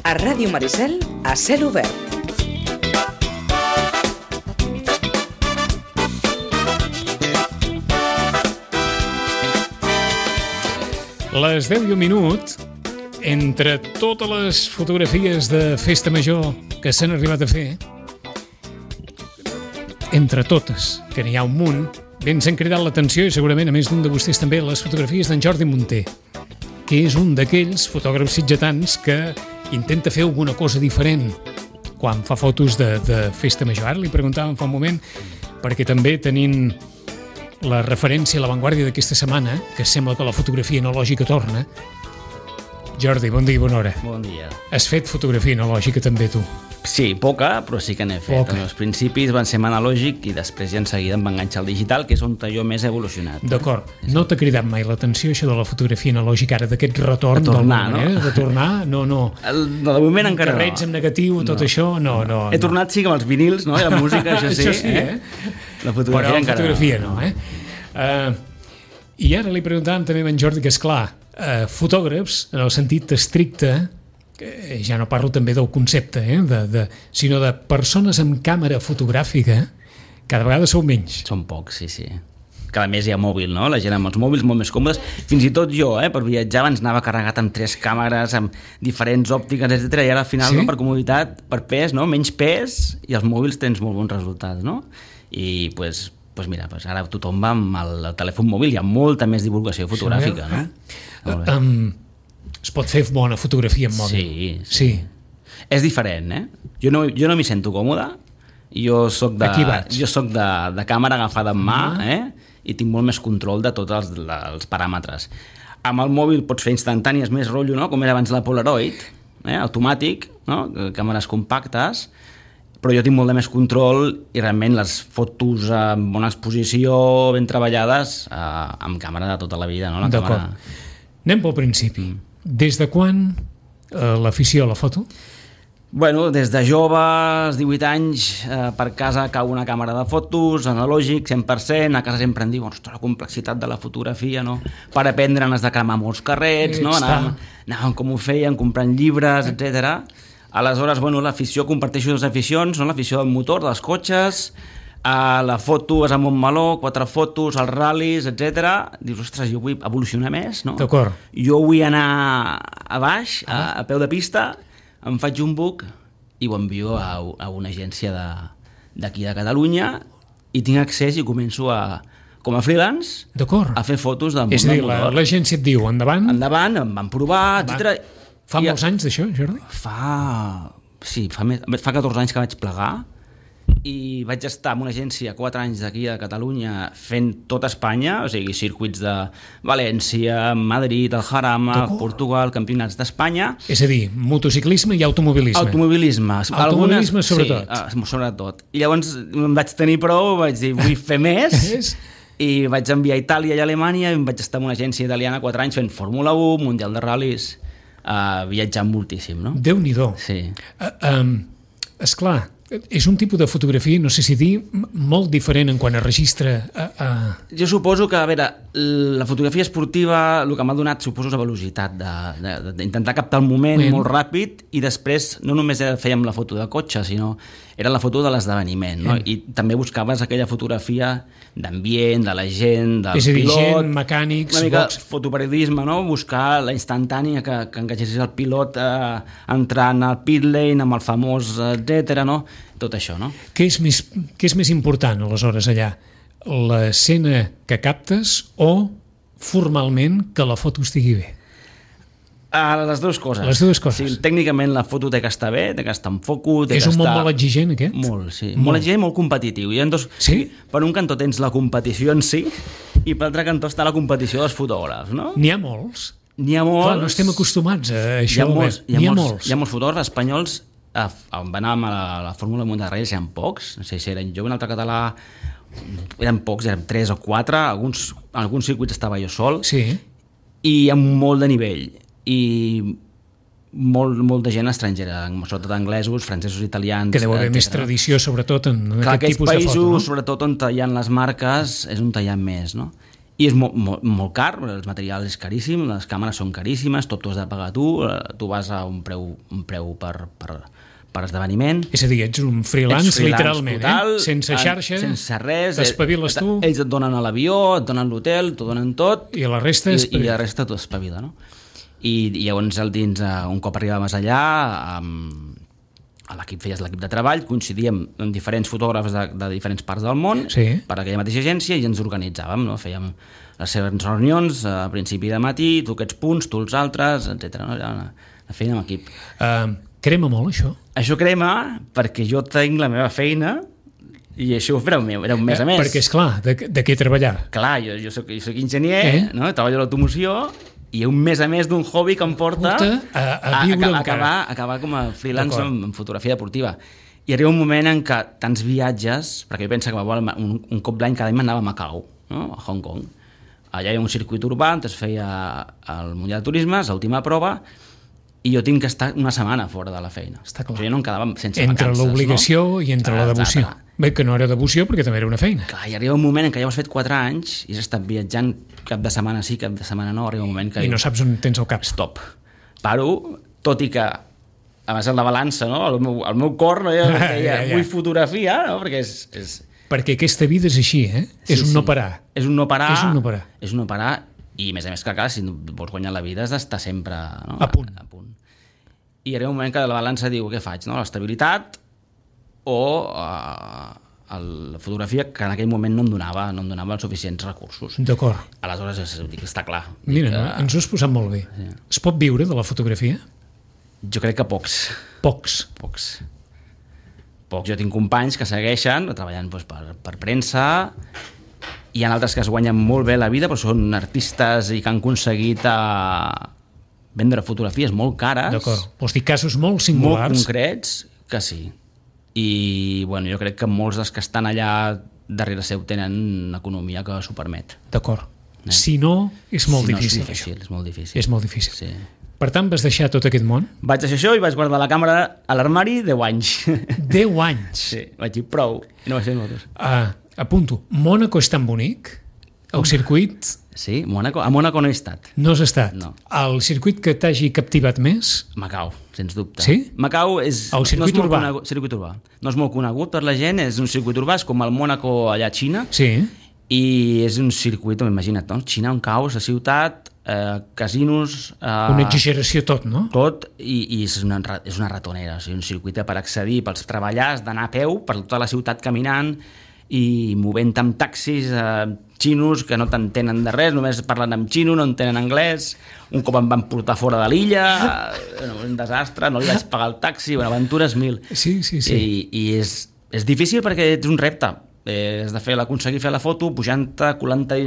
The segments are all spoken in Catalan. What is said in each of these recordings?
A Ràdio Maricel, a cel obert. Les 10:01, entre totes les fotografies de Festa Major que s'han arribat a fer, entre totes, que n'hi ha un munt, ben s'han cridat l'atenció, i segurament a més d'un de vostès també, les fotografies d'en Jordi Munté, que és un d'aquells fotògrafs sitgetans que intenta fer alguna cosa diferent quan fa fotos de Festa Major. Ara li preguntàvem fa un moment, perquè també tenint la referència a l'avantguàrdia d'aquesta setmana, que sembla que la fotografia analògica torna. Jordi, bon dia i bona hora. Bon dia. Has fet fotografia analògica també, tu? Sí, poca, però sí que n'he fet. Poca. Els principis van ser analògic i després ja en seguida em va enganxar al digital, que és on jo més he evolucionat. D'acord. No t'ha cridat mai l'atenció això de la fotografia analògica, ara d'aquest retorn de tornar, d'alguna manera? De tornar? No. De moment encara no. Carrets en negatiu, tot això? No. He tornat sí amb els vinils, no? I la música, això sí. Això sí, La fotografia però encara fotografia no, I ara li preguntàvem també a en Jordi que, esclar, fotògrafs, en el sentit estricte, ja no parlo també del concepte, sinó de persones amb càmera fotogràfica, cada vegada sou menys. Són pocs, sí. Cada més hi ha mòbil, no? La gent amb els mòbils molt més còmodes. Fins i tot jo, per viatjar, abans anava carregat amb 3 càmeres, amb diferents òptiques, etc. I ara al final, no, per comoditat, per pes, no? Menys pes, i els mòbils tens molt bons resultats, no? I pues mira, ara tothom va amb el telèfon mòbil, hi ha molta més divulgació fotogràfica, no? Es pot fer bona fotografia amb mòbil? Sí. És diferent, Jo no m'hi sento còmode, jo soc de càmera agafada en mà, i tinc molt més control de tots els paràmetres. Amb el mòbil pots fer instantànies, més rotllo, no? Com era abans la Polaroid, automàtic, no? Càmeres compactes, però jo tinc molt de més control i realment les fotos amb bona exposició, ben treballades, amb càmera de tota la vida, no? D'acord. Anem pel principi. Des de quan l'afició a la foto? Bueno, des de jove, als 18 anys, per casa cau una càmera de fotos, analògic, 100%, a casa sempre em diuen, ostres, la complexitat de la fotografia, no? Per aprendre has de cremar molts carrets, no? Anàvem com ho feien, comprant llibres, etc. Aleshores, bueno, l'afició, comparteixo 2 aficions, no? L'afició del motor, dels cotxes, la foto és a Montmeló, 4 fotos, els ral·lis, etc. Dius, ostres, jo vull evolucionar més, no? D'acord. Jo vull anar a baix, a peu de pista, em faig un book i ho envio a una agència d'aquí de Catalunya i tinc accés i començo com a freelance a fer fotos del món del motor. És a dir, l'agència et diu, endavant? Endavant, em van provar, etc. Fa molts anys d'això, Jordi? Fa 14 anys que vaig plegar i vaig estar en una agència 4 anys d'aquí a Catalunya fent tota Espanya, o sigui, circuits de València, Madrid, el Jarama, Portugal, campionats d'Espanya. És a dir, motociclisme i automobilisme. Automobilisme, sobretot. Sí, sobretot. I llavors em vaig tenir prou, vaig dir, vull fer més, i vaig enviar a Itàlia i a Alemanya, i em vaig estar en una agència italiana 4 anys fent Fórmula 1, Mundial de Ral·lis, viatjant moltíssim, no? Déu-n'hi-do. Sí. Esclar, és un tipus de fotografia, no sé si dir, molt diferent en quant a registre. Jo suposo que, a veure, la fotografia esportiva el que m'ha donat, suposo, és la velocitat d'intentar captar el moment molt ràpid i després no només fèiem la foto de cotxe, sinó era la foto de l'esdeveniment, no? I també buscaves aquella fotografia d'ambient, de la gent, del pilot... És a dir, gent, mecànics... Una mica fotoperiodisme, no? Buscar la instantània que engatgessis el pilot entrant al pit lane amb el famós etc, no? Tot això, no? Què és més important, aleshores, allà? L'escena que captes o, formalment, que la foto estigui bé? Les dues coses. Les dues coses. Sí, tècnicament la foto té que estar bé, té que estar en foco... És un món molt exigent, aquest? Molt, sí. Molt exigent, molt competitiu. Sí? Per un cantó tens la competició en si i per l'altre cantó està la competició dels fotògrafs, no? N'hi ha molts? N'hi ha molts. Clar, no estem acostumats a això. N'hi ha molts fotògrafs espanyols. Van anar a la Fórmula 1 de Reis, eren pocs. No sé si eren jo, un altre català... Eren pocs, eren 3 o 4. En alguns circuits estava jo sol. Sí. I amb molt de nivell. I molt de gent estrangera, sobretot anglesos, francesos, italians... Que deu haver més tradició, sobretot, en aquest tipus de foto, no? Països, sobretot on hi ha les marques, és on hi ha més, no? I és molt car, el material és caríssim, les càmeres són caríssimes, tot t'ho has de pagar tu vas a un preu per esdeveniment. És a dir, ets un freelance literalment, total, sense xarxa, sense res, t'espaviles tu. Ells et donen a l'avió, et donen l'hotel, t'ho donen tot, i la resta t'ho espavila, no? I llavors un cop arribàvem allà, feies l'equip de treball, coincidíem amb diferents fotògrafs de diferents parts del món, per aquella mateixa agència, i ens organitzàvem, no? Fèiem les seves reunions a principi de matí, tu aquests punts, tu els altres, etc. No? Era una feina amb equip. Crema molt, això? Això crema perquè jo tinc la meva feina i això era un mes a mes. Perquè, esclar, de què treballar? Clar, jo soc enginyer, no? Treballo a l'automoció, i un mes a més d'un hobby que em porta a viure acabar com a freelance en fotografia deportiva. I arriba un moment en què tants viatges, perquè jo penso que un cop l'any cada any m'anava a Macau, no? A Hong Kong. Allà hi ha un circuit urbà on es feia el Mundial de Turisme, l'última prova, i jo tinc que estar una setmana fora de la feina. Està clar. Jo no em quedava sense entre vacances. Entre l'obligació, no? I entre la devoció. Clar. Bé, que no era devoció perquè també era una feina. Clar, i arriba un moment en què ja ho has fet 4 anys i has estat viatjant cap de setmana sí, cap de setmana no, arriba un moment que... I no saps on tens el cap. Stop. Paro, tot i que a més la balança, no? El meu cor no deia, vull fotografia, no? Perquè és... Perquè aquesta vida és així, eh? Sí, és un no parar. És un no parar. És un no parar. I a més que, clar, si vols guanyar la vida has d'estar sempre, no? A punt. I arriba un moment que la balança diu, què faig, no? L'estabilitat o la fotografia, que en aquell moment no em donava els suficients recursos. D'acord. Aleshores, està clar. Mira, no? Ens ho has posat molt bé. Sí. Es pot viure de la fotografia? Jo crec que pocs. Pocs. Jo tinc companys que segueixen treballant per premsa, hi ha altres que es guanyen molt bé la vida, però són artistes i que han aconseguit vendre fotografies molt cares. D'acord. Vols dir casos molt singulars? Molt concrets, que sí. I bueno, jo crec que molts dels que estan allà darrere seu tenen una economia que s'ho permet. D'acord. Si no, és molt difícil. És molt difícil. És molt difícil. Sí. Per tant, vas deixar tot aquest món? Vaig deixar això i vaig guardar la càmera a l'armari 10 anys. 10 anys? Sí, vaig dir prou. No vaig fer moltes. Apunto, Mònaco és tan bonic? El circuit... Sí, a Mònaco no he estat. No has estat? No. El circuit que t'hagi captivat més? Macau, sens dubte. Sí? Macau és... El circuit urbà? Circuit urbà. No és molt conegut per la gent, és un circuit urbà, és com el Mònaco allà a Xina. Sí. I és un circuit, imagina't, no? Xina, un caos, la ciutat, casinos... Una exageració tot, no? Tot, i és una ratonera, o sigui, un circuit per accedir, pels treballar, has d'anar a peu per tota la ciutat caminant i movent amb taxis xinos que no t'entenen de res, només parlen en xino, no entenen anglès. Un cop em van portar fora de l'illa, un desastre, no li vaig pagar el taxi, aventures 1000. Sí. I és difícil perquè és un repte. Has aconseguir fer la foto, pujant-te, colant-te,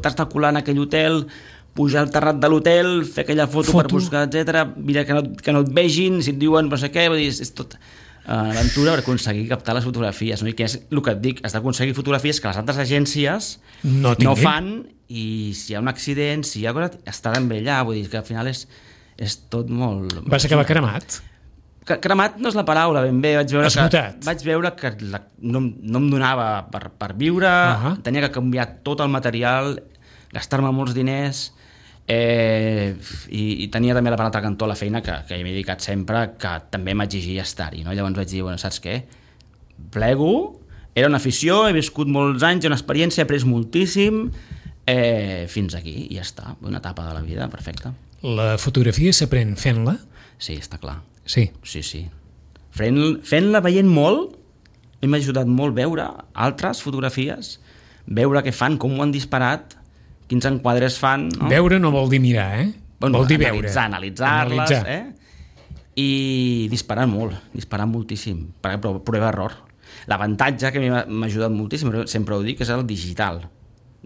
t'has de colar en aquell hotel, pujar al terrat de l'hotel, fer aquella foto per buscar, etc. Mira que no et vegin, si et diuen no sé què, és tot una aventura per aconseguir captar les fotografies, no? I que és el que et dic, has d'aconseguir fotografies que les altres agències no fan, i si hi ha un accident, si hi ha cosa, està ben bé allà, vull dir que al final és tot molt... Vas acabar cremat? Cremat no és la paraula, ben bé. Vaig veure que no em donava per viure, tenia que canviar tot el material, gastar-me molts diners, i tenia també per l'altre cantó la feina que m'he dedicat sempre, que també m'exigia estar-hi, no? Llavors vaig dir, saps què? Plego, era una afició, he viscut molts anys, una experiència, he après moltíssim, fins aquí, i ja està, una etapa de la vida, perfecta. La fotografia s'aprèn fent-la? Sí, està clar. Sí. Fent-la, veient molt, m'ha ajudat molt veure altres fotografies, veure què fan, com ho han disparat, quins enquadres fan, no? Veure no vol dir mirar, vol dir veure. Analitzar-les, i disparar moltíssim, prova-error. L'avantatge que m'ha ajudat moltíssim, sempre ho dic, és el digital.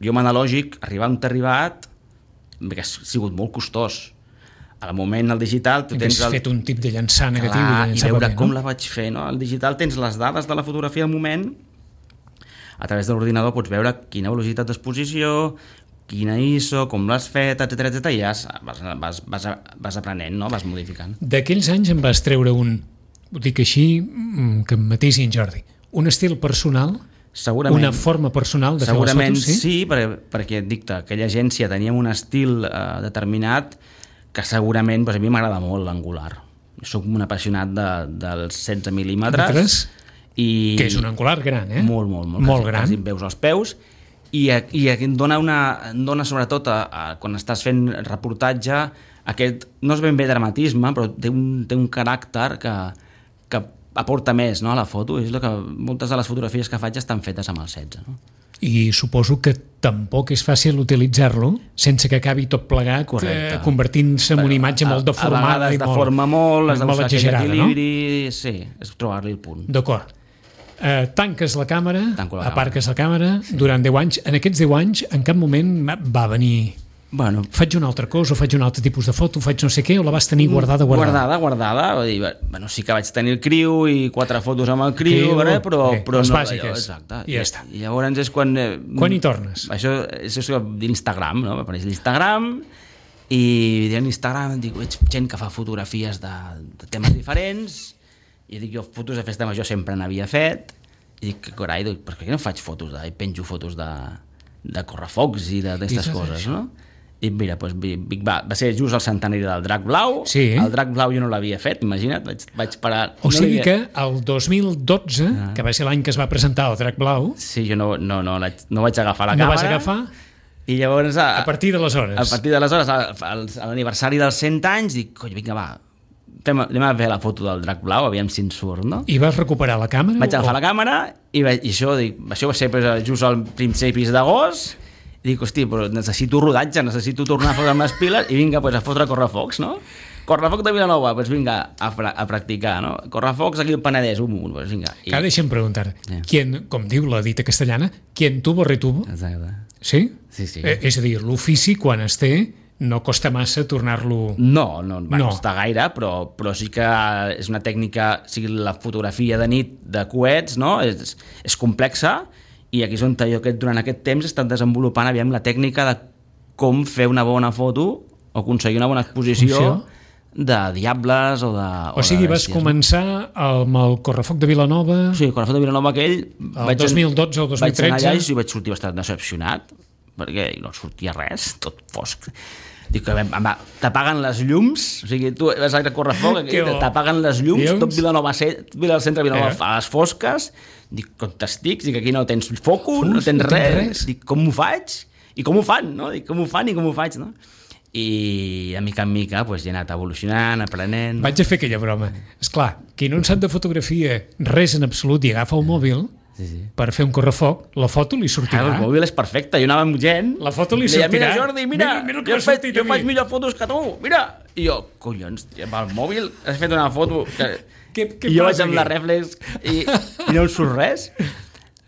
Jo amb analògic, arribar on t'he arribat, que ha sigut molt costós. Al moment, al digital... Has fet un tip de llançar negatiu i veure com la vaig fer, no? Al digital tens les dades de la fotografia al moment, a través de l'ordinador pots veure quina velocitat d'exposició, quina ISO, com l'has fet, etc, i ja vas aprenent, no? Vas modificant. D'aquells anys em vas treure ho dic així, que em matisi en Jordi, un estil personal Segurament. Una forma personal de fer les Segurament fotos, sí? sí, perquè et dic, aquella agència teníem un estil determinat que segurament a mi m'agrada molt l'angular. Soc un apassionat dels 16 mil·límetres. I Que és un angular gran, eh? Molt gran. Quasi em veus els peus. I em dona sobretot, quan estàs fent reportatge, aquest, no és ben bé dramatisme, però té un caràcter que aporta més, no, a la foto. És el que moltes de les fotografies que faig estan fetes amb el 16. No? I suposo que tampoc és fàcil utilitzar-lo sense que acabi tot plegat convertint-se en una imatge molt deformada. A vegades deforma molt, has de buscar aquell equilibri, no? Sí, és trobar-li el punt. D'acord. Tanques la càmera, aparques la càmera, durant 10 anys. En aquests 10 anys, en cap moment va venir... Bueno, faig una altra cosa, o faig un altre tipus de foto, faig no sé què, o la vas tenir guardada? Guardada. Bueno, sí que vaig tenir el criu i 4 fotos amb el criu, però les no, bàsiques. Exacte. I ja està. I llavors és quan... Quan hi tornes? Això és d'Instagram, no? M'apareix l'Instagram i en Instagram dic, veig gent que fa fotografies de temes diferents i dic, jo fotos de festa major sempre n'havia fet i dic, carai, per què no faig fotos i penjo fotos de correfocs i d'aquestes coses, no? I mira, doncs, va ser just el centenari del Drac Blau. Sí. El Drac Blau jo no l'havia fet, imagina't, vaig parar... O sigui que el 2012, que va ser l'any que es va presentar el Drac Blau... Sí, jo no vaig agafar la càmera. No vas agafar? I llavors... A partir d'aleshores? A partir d'aleshores, a l'aniversari dels 100 anys, dic, coi, vinga, va, anem a fer la foto del Drac Blau, aviam si en surt, no? I vas recuperar la càmera? Vaig agafar la càmera i això va ser just al principis d'agost. I dic, hosti, però necessito rodatge, necessito tornar a fotre amb les piles i vinga, a fotre correfocs, no? Correfoc de Vilanova, doncs vinga, a practicar, no? Correfocs aquí al Penedès, doncs vinga. Cada deixa'm preguntar, com diu la dita castellana, quien tuvo retuvo? Exacte. Sí? Sí. És a dir, l'ofici, quan es té, no costa massa tornar-lo... No va costar gaire, però sí que és una tècnica, sigui la fotografia de nit de coets, no? És complexa, i aquí és on jo durant aquest temps he estat desenvolupant la tècnica de com fer una bona foto o aconseguir una bona exposició de diables o de... O sigui, vas començar amb el Correfoc de Vilanova... Sí, el Correfoc de Vilanova aquell... El 2012 o el 2013... Vaig anar allà i vaig sortir bastant decepcionat, perquè no sortia res, tot fosc. Dic que t'apaguen les llums, o sigui, tu vas a Correfoc, t'apaguen les llums, tot Vilanova, el centre de Vilanova a les fosques, dic, com t'estic, dic, aquí no tens foco, no tens res, dic, com ho faig? I com ho fan, no? Dic, com ho fan i com ho faig, no? I de mica en mica he anat evolucionant, aprenent... Vaig a fer aquella broma. Esclar, qui no en sap de fotografia res en absolut i agafa el mòbil per fer un correfoc, la foto li sortirà. El mòbil és perfecte, jo anava amb gent... La foto li sortirà. Mira, Jordi, mira jo faig millor fotos que tu, mira! I jo, collons, amb el mòbil has fet una foto... I jo vaig amb la reflex i no em surt res.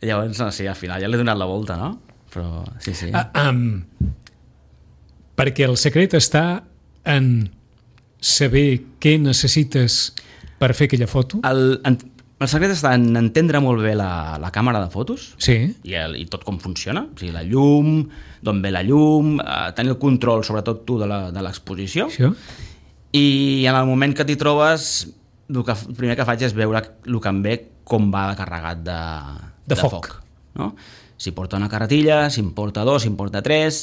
I llavors, sí, al final ja l'he donat la volta, no? Però, sí. Perquè el secret està en saber què necessites per fer aquella foto? El secret està en entendre molt bé la càmera de fotos i tot com funciona, o sigui, la llum, d'on ve la llum, tenir el control, sobretot tu, de l'exposició. I en el moment que t'hi trobes, el primer que faig és veure el que em ve com va carregat de foc. No? Si porta una carretilla, si en porta 2, si en porta 3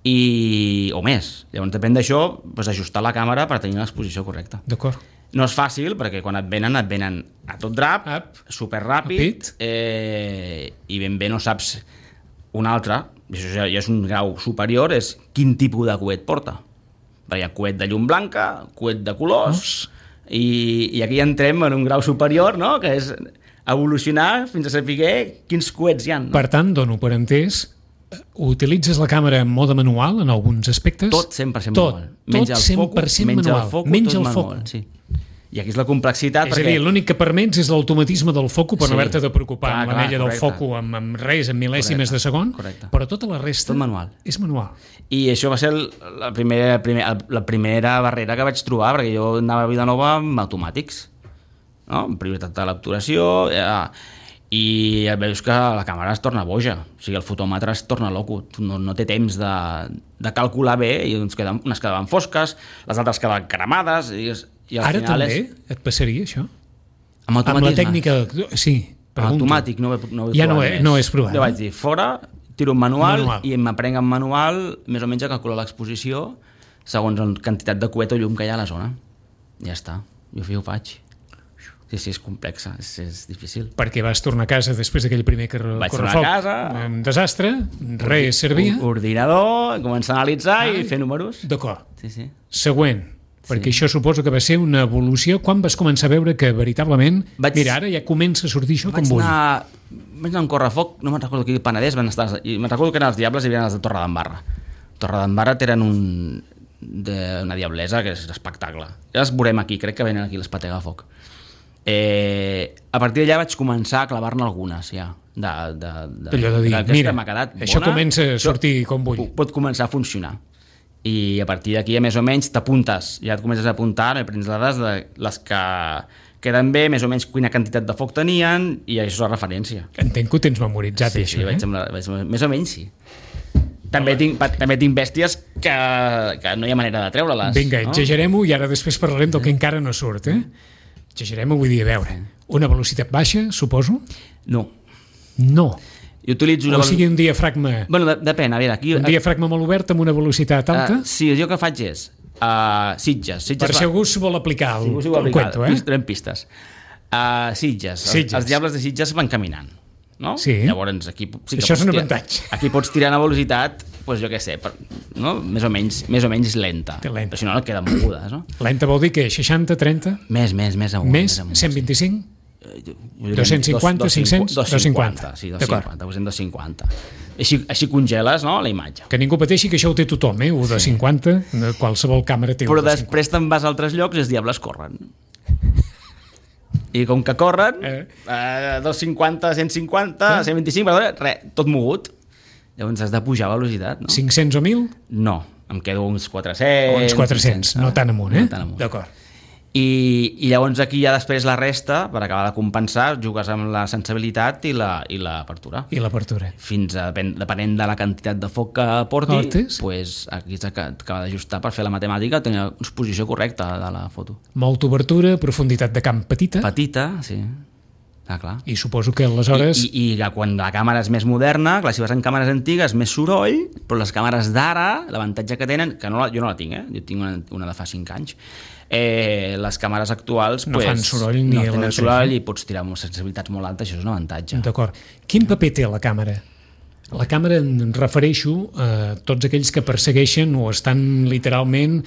o més. Llavors, depèn d'això, ajustar la càmera per tenir l'exposició correcta. D'acord. No és fàcil, perquè quan et venen a tot drap, superràpid, i ben bé no saps un altre, això ja és un grau superior, és quin tipus de coet porta. Perquè hi ha coet de llum blanca, coet de colors, i aquí entrem en un grau superior, no?, que és evolucionar fins a saber quins coets hi ha. No? Per tant, dono per entès, utilitzes la càmera en mode manual en alguns aspectes? Tot 100% manual. Tot 100% manual. Menys el foc. Sí. I aquí és la complexitat. És a dir, l'únic que permets és l'automatisme del foco per no haver-te de preocupar amb l'anella del foco amb res, amb mil·lèsimes de segon, però tota la resta tot manual. És manual. I això va ser la primera barrera que vaig trobar, perquè jo anava a Vilanova amb automàtics, no? Amb prioritat de l'obturació, i veus que la càmera es torna boja, o sigui, el fotòmetre es torna loco, no té temps de calcular bé, i unes quedaven fosques, les altres quedaven cremades, i al ara final també et passaria això? Amb automatisme? Amb la tècnica, sí. Automàtic no ho he ja provat no és provat. Jo vaig dir, fora, tiro un manual i m'aprenc en manual més o menys a calcular l'exposició segons la quantitat de coet o llum que hi ha a la zona. Ja està, jo ho faig. Sí, és complexa, és difícil. Perquè vas tornar a casa després d'aquell primer correfoc. Vaig tornar a casa. Un desastre, res servia. Ordinador, començar a analitzar i fer números. D'acord. Sí. Següent, perquè això suposo que va ser una evolució. Quan vas començar a veure que veritablement... Mira, ara ja comença a sortir això com vull. Vaig anar a un correfoc, no me'n recordo que el Penedès van estar... Me'n recordo que eren els Diables i havien els de Torredembarra. Torredembarra tenen una diablesa que és espectacle. Ja les veurem aquí, crec que venen aquí les Patega Foc. A partir d'allà vaig començar a clavar-ne algunes ja d'allò de dir, mira, això comença a sortir com vull, pot començar a funcionar i a partir d'aquí més o menys t'apuntes, ja et comences a apuntar i prens dades de les que queden bé, més o menys quina quantitat de foc tenien i això és la referència. Entenc que ho tens memoritzat, això, més o menys sí. També tinc bèsties que no hi ha manera de treure-les. Vinga, exagerem-ho i ara després parlarem del que encara no surt, Exagerem-ho, vull dir, a veure, una velocitat baixa, suposo? No. Jo utilitzo o sigui, un diafragma... Bueno, depèn, a veure, aquí... Un diafragma molt obert amb una velocitat alta? Sí, jo que faig és Sitges. Per si algú s'ho vol aplicar el cuento, Trem pistes. Sitges. Els Diables de Sitges van caminant, no? Sí. Llavors, aquí... Sí, això és un avantatge. Aquí pots tirar una velocitat, doncs jo què sé, no? més o menys lenta. Però si no, no queden mogudes, no? Lenta vol dir que 60, 30? Més amunt. Més? 125? 250, 500? 250. Sí, 250. Així congeles, no, la imatge. Que ningú pateixi que això ho té tothom, ho de 50, qualsevol càmera té. Però després te'n vas a altres llocs i els Diables corren. I com que corren, 250, 150, 125, res, tot mogut. Llavors has de pujar a velocitat, no? 500 o 1.000? No, em quedo uns 400. Uns 400, no tan amunt, No tan amunt. D'acord. I llavors aquí ja després la resta, per acabar de compensar, jugues amb la sensibilitat i l'apertura. I l'apertura. Fins a, depenent de la quantitat de foc que portis, pues, aquí s'acaba d'ajustar per fer la matemàtica, tenir una exposició correcta de la foto. Molta obertura, profunditat de camp petita. Petita, sí. Clar. I suposo que aleshores... I quan la càmera és més moderna, clar, si vas en càmeres antigues, més soroll, però les càmeres d'ara, l'avantatge que tenen, que jo no la tinc, jo tinc una de fa 5 anys, les càmeres actuals no fan soroll ni no tenen soroll i pots tirar amb sensibilitats molt altes, això és un avantatge. D'acord. Quin paper té la càmera? La càmera em refereixo a tots aquells que persegueixen o estan literalment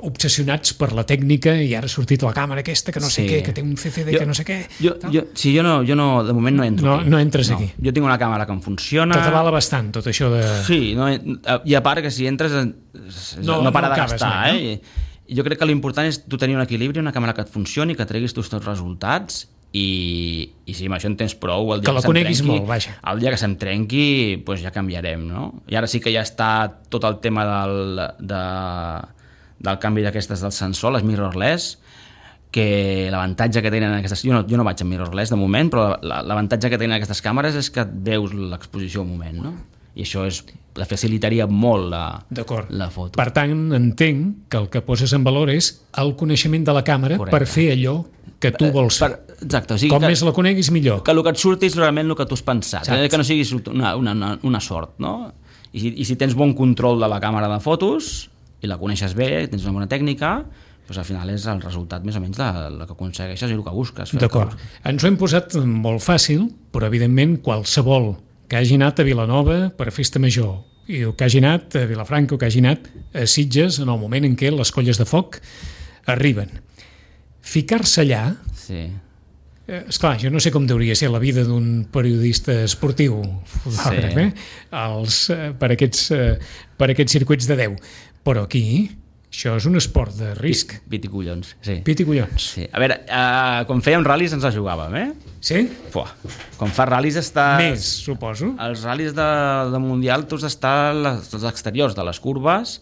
obsessionats per la tècnica i ara ha sortit la càmera aquesta que no sé què, que té un CCD que no sé què. Jo no, de moment no entro aquí. No entres aquí. Jo tinc una càmera que em funciona. T'atabala bastant tot això de... Sí, i a part que si entres no para de gastar, Jo crec que l'important és tu tenir un equilibri, una càmera que et funcioni, que treguis tots els resultats i si amb això en tens prou, el dia que la coneguis molt, vaja. El dia que se'm trenqui, doncs ja canviarem, no? I ara sí que ja està tot el tema del canvi d'aquestes del sensor, les mirrorless, que l'avantatge que tenen aquestes... Jo no vaig amb mirrorless de moment, però l'avantatge que tenen aquestes càmeres és que et veus l'exposició al moment, no? I això la facilitaria molt la foto. Per tant, entenc que el que poses en valor és el coneixement de la càmera. Correcte. Per fer allò que tu vols fer. Exacte. O sigui, com més la coneguis, millor. Que el que et surti és realment el que tu has pensat. Que no siguis una sort, no? I si tens bon control de la càmera de fotos i la coneixes bé, tens una bona tècnica, doncs al final és el resultat més o menys del que aconsegueixes i el que busques. D'acord. Ens ho hem posat molt fàcil, però evidentment qualsevol que hagi anat a Vilanova per festa major i que hagi anat a Vilafranca o que hagi anat a Sitges en el moment en què les colles de foc arriben. Ficar-se allà... Sí. Esclar, jo no sé com hauria ser la vida d'un periodista esportiu fotògraf, per aquests circuits de 10. Però aquí... Això és un esport de risc. Pit i collons, sí. Pit i collons. Sí. A veure, quan fèiem ral·lis ens la jugàvem, Sí? Quan fas ral·lis estàs... Més, suposo. Els ral·lis de Mundial tu has d'estar als exteriors de les curves,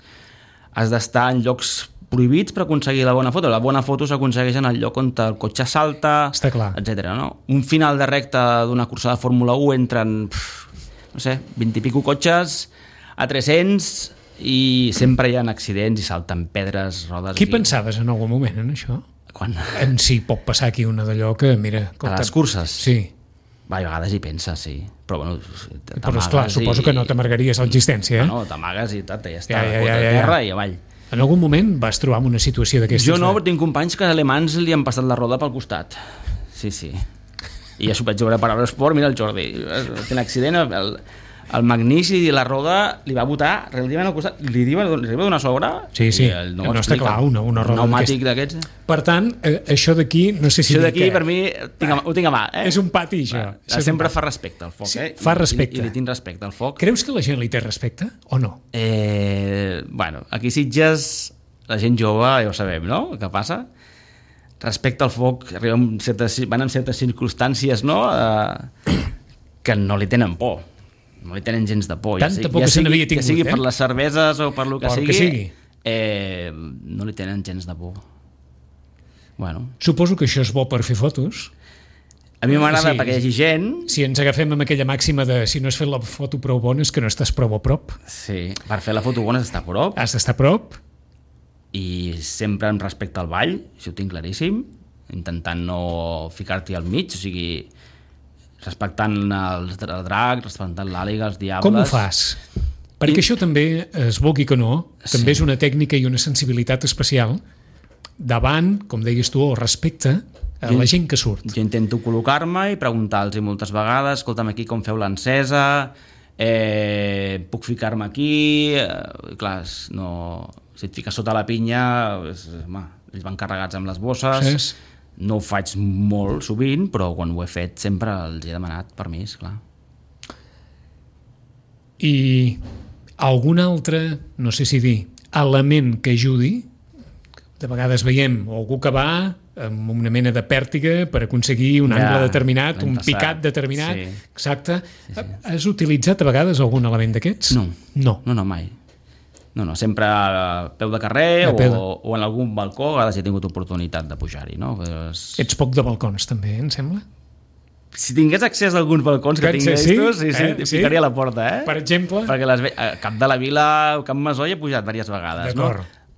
has d'estar en llocs prohibits per aconseguir la bona foto. La bona foto s'aconsegueix en el lloc on el cotxe salta, etc. No? Un final de recta d'una cursa de Fórmula 1 entren, no sé, 20 i pico cotxes a 300... i sempre hi ha accidents i salten pedres, rodes... Qui pensaves en algun moment en això? Quan? En si pot passar aquí una d'allò que, mira... A les curses? Sí. Va, a vegades hi penses, sí. Però, bueno, però esclar, suposo que no t'amargaries l'existència, No, t'amagues i tot, ja està, Ja. terra i avall. En algun moment vas trobar en una situació d'aquestes? Jo no, però tinc companys que alemans li han passat la roda pel costat. Sí. I ja s'ho vaig veure per Eurosport, mira el Jordi, té un accident, el Magnici i la roda li va botar relativament al costat, li va donar sobre. Sí, no està clar, una roda pneumàtic d'aquests. Per tant, això d'aquí, no sé si això d'aquí per mi ho tinc a mà. És un pati, això. Sempre fa respecte al foc, Fa respecte. I li tinc respecte al foc. Creus que la gent li té respecte o no? Bueno, aquí a Sitges la gent jove ja ho sabem, no? Què passa? Respecte al foc van en certes circumstàncies, no? Que no li tenen por. No li tenen gens de por. Tanta por que se n'havia tingut, que sigui per les cerveses o per lo que sigui. No li tenen gens de por. Bueno. Suposo que això és bo per fer fotos. A mi m'agrada perquè hi hagi gent. Si ens agafem amb aquella màxima de si no has fet la foto prou bona és que no estàs prou a prop. Sí, per fer la foto bona has d'estar a prop. Has d'estar a prop. I sempre amb respecte al ball, això ho tinc claríssim, intentant no ficar-t'hi al mig, o sigui, respectant el drac, respectant l'àliga, els diables... Com ho fas? Perquè això també, es vulgui que no, també és una tècnica i una sensibilitat especial davant, com deies tu, o respecte a la gent que surt. Jo intento col·locar-me i preguntar-los moltes vegades, escolta'm, aquí com feu l'encesa, puc ficar-me aquí... Clar, no... Si et fiques sota la pinya, ells van carregats amb les bosses, no ho faig molt sovint, però quan ho he fet sempre els he demanat permís, clar. I algun altre, no sé si dir, element que ajudi, de vegades veiem algú que va amb una mena de pèrtiga per aconseguir un angle determinat, un picat determinat, exacte. Has utilitzat a vegades algun element d'aquests? No, mai. No, sempre a peu de carrer o en algun balcó, a vegades he tingut oportunitat de pujar-hi, no? Ets poc de balcons, també, em sembla? Si tingués accés a alguns balcons que tinc estos, ficaria a la porta, Per exemple? Perquè Cap de la Vila, Cap Masó hi he pujat diverses vegades, no?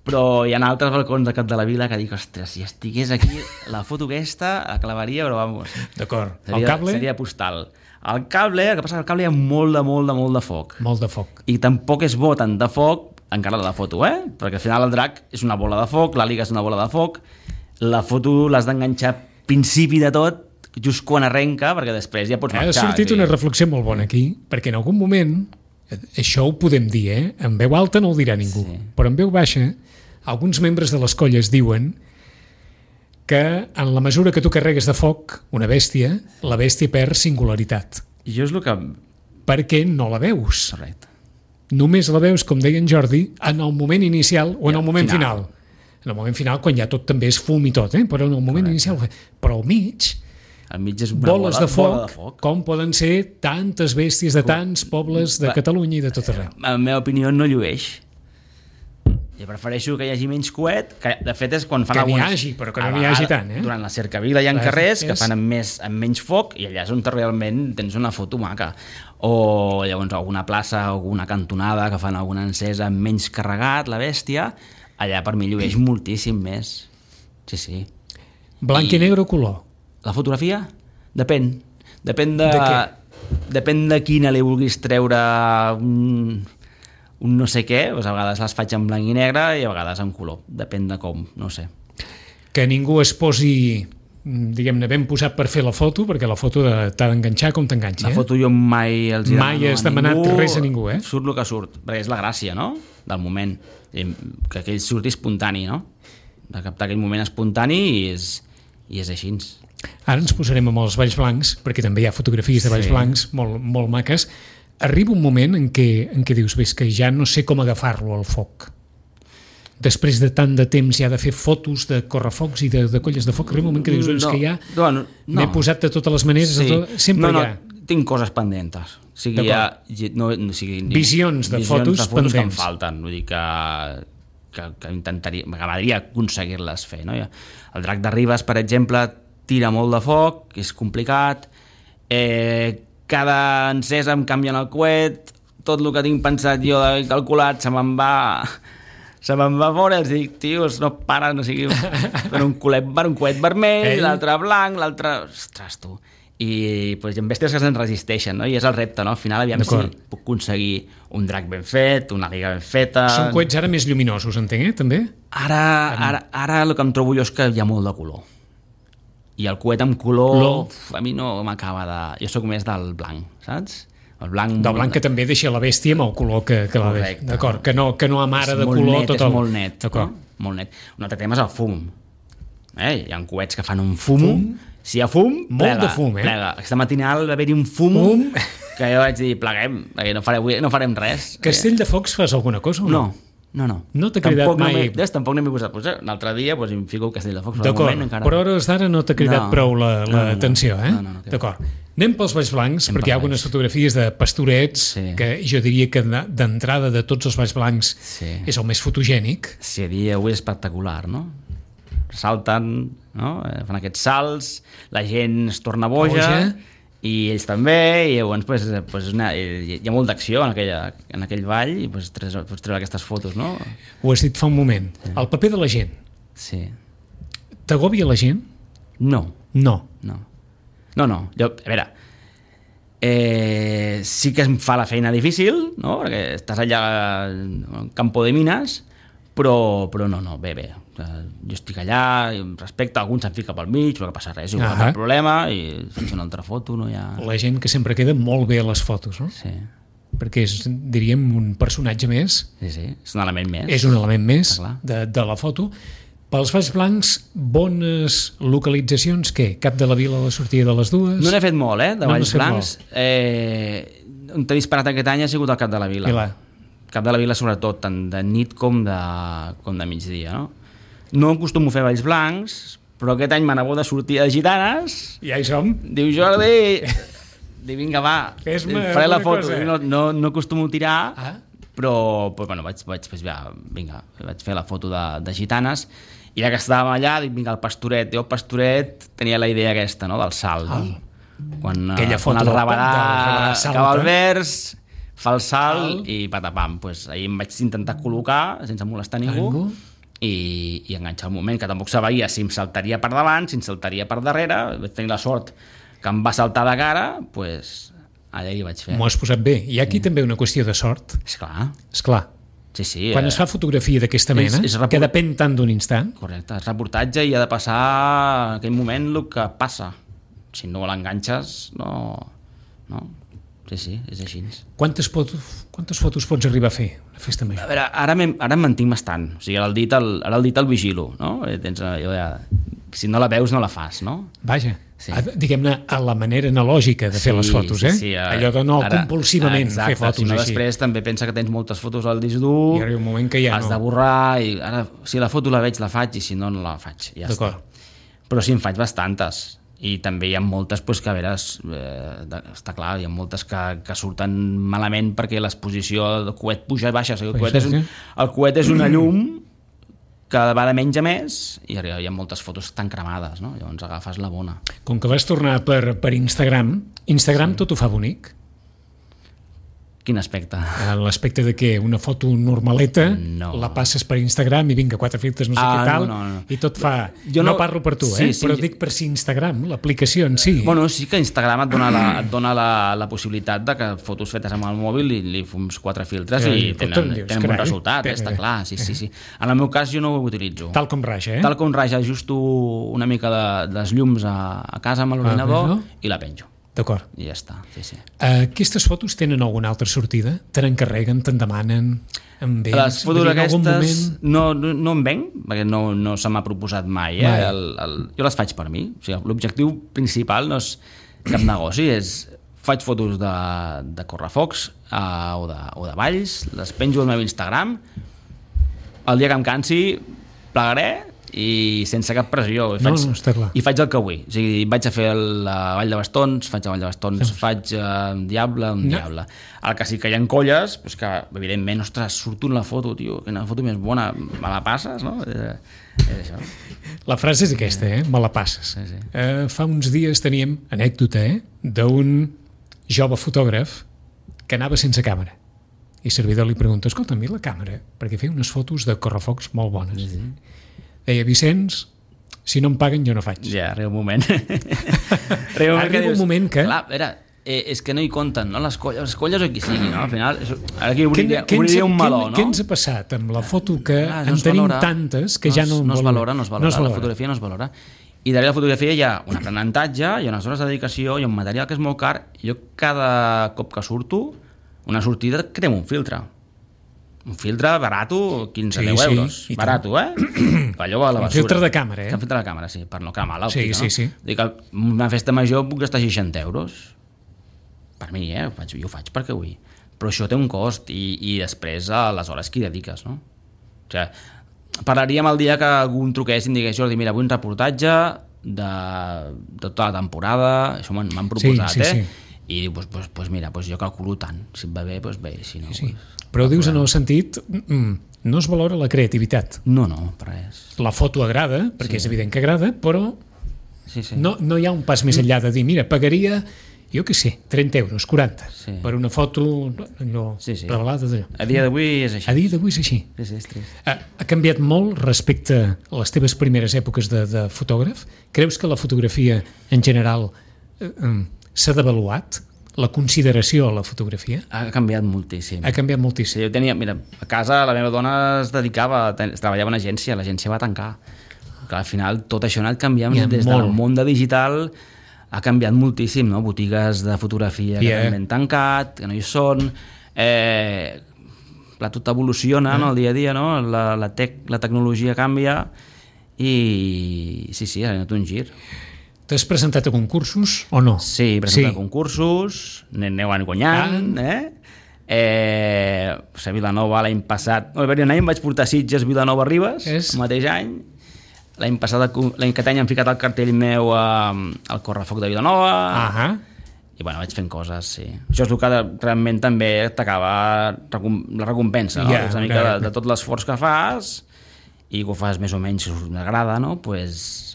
Però hi ha altres balcons de Cap de la Vila que dic, ostres, si estigués aquí, la foto aquesta la clavaria, però vamos. D'acord. El cable? Seria postal. El cable, el que passa que el cable hi ha molt de foc. Molt de foc. I tampoc és bo tant de foc encara de la foto, perquè al final el drac és una bola de foc, l'àliga és una bola de foc, la foto l'has d'enganxar principi de tot, just quan arrenca, perquè després ja pots marxar. Ha sortit una reflexió molt bona aquí, perquè en algun moment, això ho podem dir, en veu alta no ho dirà ningú, però en veu baixa, alguns membres de les colles diuen que en la mesura que tu carregues de foc una bèstia, la bèstia perd singularitat. I jo és el que... Perquè no la veus. Correcte. Només la veus, com deia en Jordi, en el moment inicial o en el moment final. En el moment final, quan ja tot també és fum i tot, però en el moment inicial... Però al mig és boles de foc, com poden ser tantes bèsties de tants pobles de Catalunya i de tot arreu. En la meva opinió no llueix. Jo prefereixo que hi hagi menys coet, que de fet és quan fan que alguns... Que n'hi hagi, però que no n'hi hagi tant, Durant la cercavila hi ha carrers que fan amb menys foc i allà és on realment tens una foto maca. O llavors alguna plaça, alguna cantonada que fan alguna encesa amb menys carregat, la bèstia, allà per mi llueix moltíssim més. Sí. Blanc i negre o color? La fotografia? Depèn. Depèn de quina li vulguis treure un no sé què, doncs a vegades les faig en blanc i negre i a vegades en color, depèn de com, no sé. Que ningú es posi, diguem-ne, ben posat per fer la foto, perquè la foto t'ha d'enganxar com t'enganxa. La foto jo mai els demano mai has demanat res a ningú, Surt el que surt, perquè és la gràcia, no?, del moment, que aquell surti espontani, no?, de captar aquell moment espontani i és així. Ara ens posarem amb els Valls Blancs, perquè també hi ha fotografies de Valls Blancs molt maques. Arriba un moment en què dius, ves que ja no sé com agafar-lo al foc. Després de tant de temps ja de fer fotos de correfocs i de colles de foc, arriba un moment que dius, que ja m'he posat de totes les maneres, sempre hi ha... Tinc coses pendentes. Visions de fotos pendents. Que em falten, vull dir que m'agradaria aconseguir-les fer. No? El drac de Ribes, per exemple, tira molt de foc, és complicat, cada encesa em canvien el coet, tot el que tinc pensat jo de calculat se me'n va fora, els dic, tios, no paren, o sigui, per un coet vermell, l'altre blanc, l'altre... Ostres, tu... i pues, hi ha bèsties que se'n resisteixen, no? I és el repte, no? Al final aviam si puc aconseguir un drac ben fet, una liga ben feta... Són coets ara més lluminosos, entenc, també? Ara el que em trobo jo és que hi ha molt de color. I el coet amb color a mi no m'acaba de... Jo sóc més del blanc, saps? El blanc... Del blanc que també deixa la bèstia amb el color que la deixa. D'acord, que no amara de color tot el... És molt net, no? Molt net. Un altre tema és el fum. Hi ha coets que fan un fum. Si hi ha fum, molt de fum, plega. Aquesta matinal va haver-hi un fum que jo vaig dir, pleguem, perquè no farem res. Castelldefels fas alguna cosa o no? No. No t'ha cridat mai? Tampoc no m'he posat. Un altre dia em fico Castelldefels. D'acord, però a hores d'ara no t'ha cridat prou l'atenció, eh? No. D'acord. Anem pels Valls Blancs, perquè hi ha algunes fotografies de pastorets que jo diria que d'entrada de tots els Valls Blancs és el més fotogènic. Sí, dia avui és espectacular, no? Salten, no? Fan aquests salts, la gent es torna boja i ells també, i llavors hi ha molt d'acció en aquell vall i pots treure aquestes fotos, no? Ho has dit fa un moment, el paper de la gent. Sí. T'agòbia la gent? No. Jo, a veure, sí que em fa la feina difícil, no? Perquè estàs allà al campo de mines, però no, bé. Jo estic allà, respecte, alguns se'n fica pel mig, no passa res, igual cap problema, i fins una altra foto, no hi ha... La gent que sempre queda molt bé a les fotos, no? Sí. Perquè és, diríem, un personatge més. Sí, és un element més. És un element més de la foto. Pels Valls Blancs, bones localitzacions, què? Cap de la Vila a la sortida de les dues? No n'he fet molt, de Valls Blancs. On t'he disparat aquest any ha sigut el Cap de la Vila. Cap de la Vila, sobretot, tant de nit com de migdia, no? No acostumo a fer Valls Blancs, però aquest any me n'ha de sortir de gitanes. Ja hi som. Diu, Jordi, vinga, va, faré la foto. No acostumo a tirar, però bueno, vaig fer la foto de gitanes, i ja que estàvem allà, dic, vinga, el Pastoret. Jo, el Pastoret, tenia la idea aquesta, no?, del salt. Quan el Rabarà acaba el vers, fa el salt i patapam. Ahir em vaig intentar col·locar sense molestar ningú i enganxar el moment, que tampoc sabia si em saltaria per davant, si em saltaria per darrere. Vaig tenir la sort que em va saltar de cara, allà hi vaig fer. M'ho has posat bé. Hi ha aquí també una qüestió de sort. Esclar. Sí. Quan es fa fotografia d'aquesta mena, que depèn tant d'un instant. Correcte, és reportatge i ha de passar en aquell moment el que passa. Si no l'enganxes, no. Sí, és així. Quantes fotos pots arribar a fer a festa major? A veure, ara em mantinc bastant. O sigui, ara el dit el vigilo, no? Si no la veus, no la fas, no? Vaja, diguem-ne, a la manera analògica de fer les fotos, Sí, allò de no compulsivament fer fotos si no, així. Després també pensa que tens moltes fotos al disc dur, i arriba un moment que ja has de borrar, i ara, si la foto la veig, la faig, i si no, no la faig. Ja està. Però sí, en faig bastantes. I també hi ha moltes que, a veure, està clar, hi ha moltes que surten malament perquè l'exposició del coet puja i baixa. O sigui, el coet és una llum que va de menys a més i hi ha moltes fotos tan cremades, no? Llavors agafes la bona. Com que vas tornar per Instagram tot ho fa bonic? Quin aspecte? L'aspecte de que una foto normaleta la passes per Instagram i vinga, 4 filtres, no sé què tal, i tot fa... No parlo per tu, però dic per si Instagram, l'aplicació en si. Bueno, sí que Instagram et dona la possibilitat de que fotos fetes amb el mòbil li fums 4 filtres i tenen bon resultat, està clar, sí. En el meu cas jo no ho utilitzo. Tal com raja, Tal com raja, ajusto una mica dels llums a casa amb l'ordinador i la penjo. D'acord. I ja està, sí. Aquestes fotos tenen alguna altra sortida? Te n'encarreguen, te'n demanen? Les fotos aquestes no em venc, perquè no se m'ha proposat mai. Jo les faig per mi. O sigui, l'objectiu principal no és cap negoci, faig fotos de correfocs o de valls, les penjo al meu Instagram, el dia que em cansi plegaré i sense cap pressió i faig el que vull, o sigui, vaig a fer la Vall de Bastons, faig un diable, el que sí que hi ha colles, doncs que evidentment, ostres, surto en la foto, tio, una foto més bona, me la passes, no? És això. La frase és aquesta, me la passes. Fa uns dies teníem anècdota d'un jove fotògraf que anava sense càmera i el servidor li pregunta, escolta, a mi la càmera, perquè feia unes fotos de correfocs molt bones. Deia, Vicenç, Si no em paguen, jo no faig. Ja, arriba un moment. Arriba un moment que... Clar, és que no hi compten, no? Les colles o qui sigui, no? Al final, ara aquí obriria un meló, no? Què ens ha passat amb la foto que no en tenim tantes que ja no es valora. La fotografia no es valora. I darrere la fotografia hi ha un aprenentatge, hi ha unes hores de dedicació, hi ha un material que és molt car. Jo cada cop que surto, una sortida, cremo un filtre. Un filtre barato, 15 euros. Barato, allò a la basura. Un filtre de càmera, Un filtre de càmera, sí, per no cremar l'òptica, no? Sí. Dic que una festa major puc gastar 60 euros. Per mi, jo ho faig perquè vull. Però això té un cost i després a les hores que hi dediques, no? O sigui, parlaríem el dia que algun truqués i em digués, Jordi, mira, vull un reportatge de tota la temporada, això m'han proposat, sí. I diu, pues mira, jo calculo tant, si et va bé, doncs bé, si no... Sí. Però dius en el sentit, no es valora la creativitat. No, per res. La foto agrada, perquè és evident que agrada, però no hi ha un pas més enllà de dir, mira, pagaria, jo què sé, 30 euros, 40, per una foto revelada d'allò. A dia d'avui és així. A dia d'avui és així. Sí, és trist. Ha canviat molt respecte a les teves primeres èpoques de fotògraf? Creus que la fotografia en general s'ha devaluat? La consideració a la fotografia? Ha canviat moltíssim. Sí, jo tenia, mira, a casa la meva dona treballava en una agència, l'agència va tancar. Que al final tot això ha anat canviant des del món de digital, ha canviat moltíssim, no? Botigues de fotografia que també han tancat, que no hi són, tot evoluciona en el dia a dia, no? La tecnologia canvia i sí, ha anat un gir. T'has presentat a concursos o no? Sí, he presentat a concursos, n'aneu guanyant, a Vilanova l'any passat, un any em vaig portar Sitges, Vilanova, Ribes, el mateix any. L'any que any han ficat el cartell meu al Correfoc de Vilanova, i vaig fent coses, sí. Això és el que realment també t'acaba la recompensa, no? És una mica de tot l'esforç que fas i que ho fas més o menys, si us agrada, no? Pues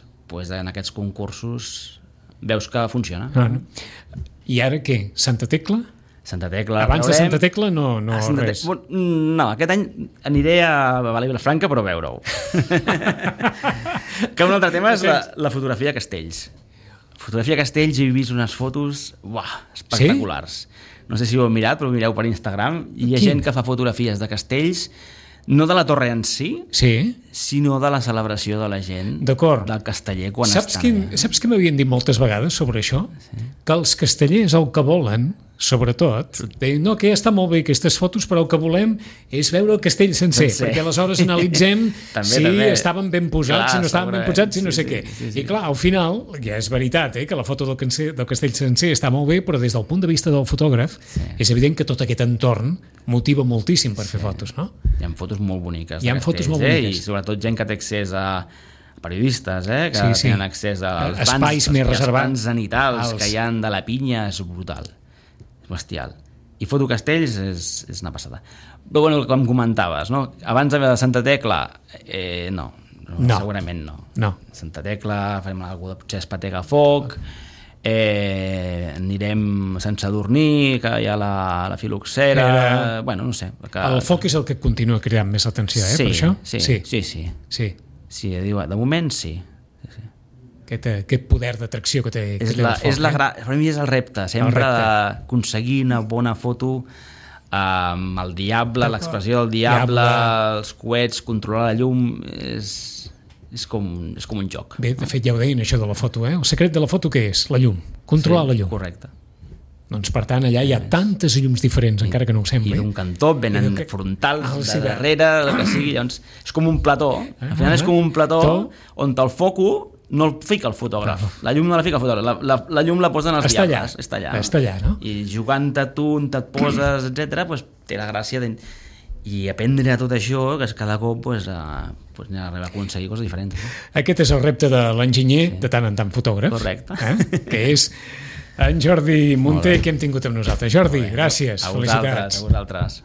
en aquests concursos veus que funciona. I ara què? Santa Tecla? Santa Tecla. Abans de Santa Tecla no res. No, aquest any aniré a Vilafranca però a veure-ho. Que un altre tema és la fotografia de castells. Fotografia de castells, he vist unes fotos espectaculars. No sé si ho heu mirat, però mireu per Instagram. Hi ha gent que fa fotografies de castells, no de la torre en si, sinó de la celebració de la gent del casteller quan estan. Saps què m'havien dit moltes vegades sobre això? Que els castellers el que volen, sobretot, no, que ja està molt bé aquestes fotos, però el que volem és veure el castell sencer, perquè aleshores analitzem si estaven ben posats, si no estaven ben posats, si no sé què. I clar, al final, ja és veritat que la foto del castell sencer està molt bé, però des del punt de vista del fotògraf és evident que tot aquest entorn motiva moltíssim per fer fotos, no? Hi ha fotos molt boniques de castells, i sobretot gent que té accés a periodistes, que tenen accés als espais més reservats, els zenitals que hi ha de la pinya, és brutal, és bestial. I foto castells és una passada. Però bueno, com comentaves, no? Abans de Santa Tecla, no, segurament no. Santa Tecla, farem alguna cosa, potser Espatega Foc, anirem a Sant Sadurní, que hi ha la filoxera, bueno, no sé. El foc és el que continua cridant més atenció, per això? Sí, de moment sí. Aquest poder d'atracció que té el foc. Per mi és el repte, sempre d'aconseguir una bona foto amb el diable, l'expressió del diable, els coets, controlar la llum, és com un joc. Bé, de fet ja ho deien això de la foto, El secret de la foto què és? La llum, controlar la llum. Correcte. Doncs per tant allà hi ha tantes llums diferents, encara que no ho sembli. I d'un cantó venen frontals, de darrere, el que sigui, llavors és com un plató. Al final és com un plató on el foco no el fica el fotògraf, la llum no la fica el fotògraf, la llum la posen els diables, està allà, no? I jugant-te tu, on et poses, etc., té la gràcia i aprendre tot això, que cada cop anem a aconseguir coses diferents. Aquest és el repte de l'enginyer, de tant en tant fotògraf. Correcte. Que és en Jordi Munté, que hem tingut amb nosaltres. Jordi, gràcies, felicitats. A vosaltres.